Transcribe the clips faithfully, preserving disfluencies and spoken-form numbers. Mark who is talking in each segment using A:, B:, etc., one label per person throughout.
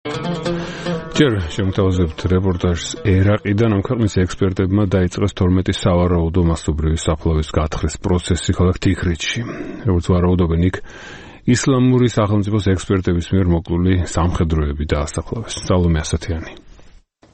A: ჯერ შემოთავაზებთ რეპორტაჟს ერაყიდან. ამ ქვეყნის ექსპერტებმა დაიწყეს თორმეტი სავარაუდო მასობრივი საფლავის გათხრის პროცესი ქალაქ თიქრეთში. როგორც ვარაუდობენ, იქ ისლამური სახელმწიფოს ექსპერტების მიერ მოკლული სამხედროები დაასაფლავეს. სალომე ასათიანი.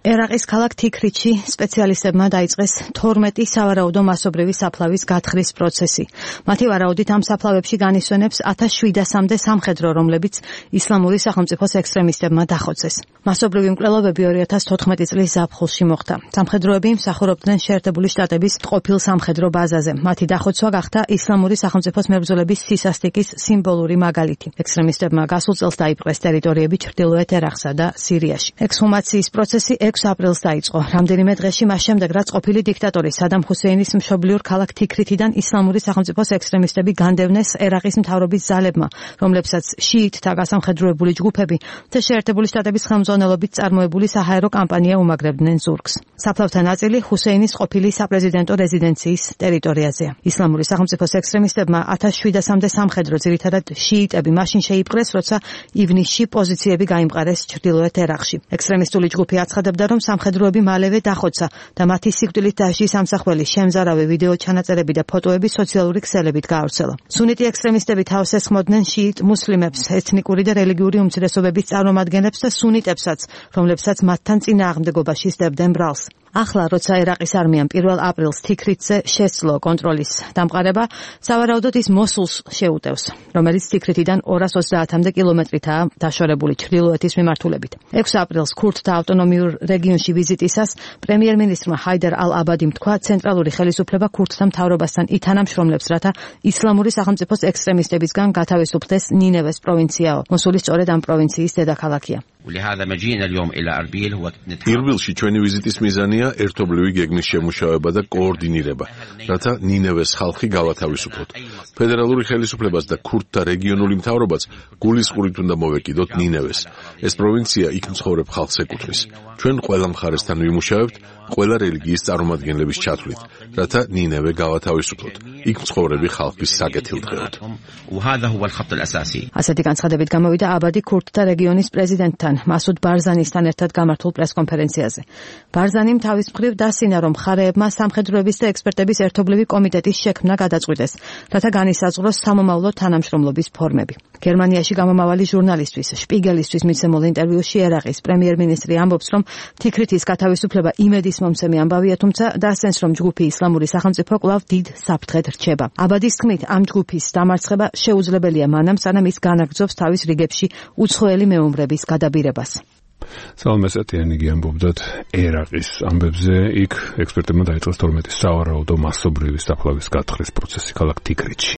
B: ერაყის ქალაქ თიქრეთში სპეციალისტებმა დაიწყეს თორმეტი სავარაუდო მასობრივი საფლავის გათხრის პროცესი. მათი ვარაუდით ამ საფლავებში განისვენებს ათას შვიდასამდე სამხედრო, რომლებიც ისლამური სახელმწიფოს ექსტრემისტებმა დახოცეს. მასობრივი მკვლელობები ორი ათას თოთხმეტი წლის ზაფხულში მოხდა. სამხედროები მსახურობდნენ შეერთებული შტატების ყოფილ სამხედრო ბაზაზე. მათი დახოცვა გახდა ისლამური სახელმწიფოს მებრძოლების სისასტიკის სიმბოლური მაგალითი. ექსტრემისტებმა გასულ წელს დაიპყრეს ტერიტორიები ჩრდილოეთ ერაყსა და სირიაში. ექსჰუმაციის პროცესი ექვსი აპრილს დაიწყო. რამდენიმე დღეში მას შემდეგ, რაც ყოფილი დიქტატორი სადამ ჰუსეინის მშობლიურ ქალაქ თიქრეთიდან ისლამური სახელმწიფოს ექსტრემისტები განდევნეს ერაყის მთავრობის ძალებმა, რომლებსაც შიიტთა გასამხედროებული ჯგუფები და შეერთებული შტატების ხელმძღვანელობით წარმოებული საჰაერო კამპანია უმაგრებდნენ ზურგს. საფლავთა ნაწილი ჰუსეინის ყოფილი საპრეზიდენტო რეზიდენციის ტერიტორიაზეა. ისლამური სახელმწიფოს ექსტრემისტებმა ათას შვიდასამდე სამხედრო, ძირითადად შიიტები, მაშინ შეიპყრეს, როცა ივნისში პოზიციები გაიმყარეს ჩრდილოეთ ერაყში. ექსტრემისტული ჯგუფი აცხადებდა, რომ სამხედროები მალევე დახოცა და მათი სიკვდილით დასჯის ამსახველი შემზარავი ვიდეო ჩანაწერები და ფოტოები სოციალური ქსელებით გაავრცელა. სუნიტი ექსტრემისტები თავს ესხმოდნენ შიიტ მუსლიმებს, ეთნიკური და რელიგიური უმცირესობების წარმომადგენლებს და სუნიტებსაც, რომლებსაც მათთან წინააღმდეგობაში სდებდნენ ბრალს. ახლა, როცა ერაყის არმიამ პირველ აპრილს თიქრეთზე შესძლო კონტროლის დამყარება, სავარაუდოდ ის მოსულს შეუტევს, რომელიც თიქრეთიდან ორას ოცდაათამდე კილომეტრითაა დაშორებული ჩრდილოეთის მიმართულებით. ექვსი აპრილს ქურთთა ავტონომიურ რეგიონში ვიზიტისას პრემიერ-მინისტრმა ჰაიდარ ალ-აბადიმ თქვა, ცენტრალური ხელისუფლება ქურთთა მთავრობასთან ითანამშრომლებს, რათა ისლამური სახელმწიფოს ექსტრემისტებისგან გათავისუფლდეს ნინევეს პროვინციაო. მოსული სწორედ ამ პროვინციის დედაქალაქია.
C: ერბილში ჩვენი ვიზიტის მიზანია ერთობლივი გეგმის შემუშავება და კოორდინირება, რათა ნინევეს ხალხი გავათავისუფლოთ. ფედერალური ხელისუფლებას და ქურთთა რეგიონული მთავრობაც გულისყურით უნდა მოვეკიდოთ ნინევეს. ეს პროვინცია იქ მცხოვრებ ხალხს ეკუთვნის. ჩვენ ყველა მხარესთან ვიმუშავებთ, ყველა რელიგიის წარმომადგენლების ჩათვლით, რათა ნინევე გავათავისუფლოთ. იქ მცხოვრები ხალხის საკეთილდღეოდ.
B: ასეთი განცხადებით გამოვიდა აბადი ქურთთა რეგიონის პრეზიდენტთან მასუდ ბარზანისთან ერთად გამართულ პრესკონფერენციაზე. ბარზანიმ თავის მხრივ დასინა, რომ მხარეებმა სამხედროების და ექსპერტების ერთობლივი კომიტეტის შექმნა გადაწყვიტეს, რათა განისაზღვროს სამომავლო თანამშრომლობის ფორმები. გერმანიაში გამომავალი ჟურნალისტვის შპიგელისთვის მიცემულ ინტერვიუში ერაყის პრემიერ-მინისტრი ამბობს, რომ თიქრეთის გათავისუფლება იმედის მომცემი ამბავია, თუმცა დასცენს, რომ ჯგუფი ისლამური სახელმწიფო კვლავ დიდ საფრთხედ რჩება. აბადის თქმით, ამ ჯგუფის დამარცხება შეუძლებელია მანამ, სანამ ის განაგრძობს თავის რიგებში უცხოელი მეომრების გადაბირებას.
A: სალომე ასათიანი ამბობდათ ერაყის ამბებზე. იქ ექსპერტებმა დაიწყეს თორმეტი სავარაუდო მასობრივი საფლავის გათხრის პროცესი ქალაქ თიქრეთში.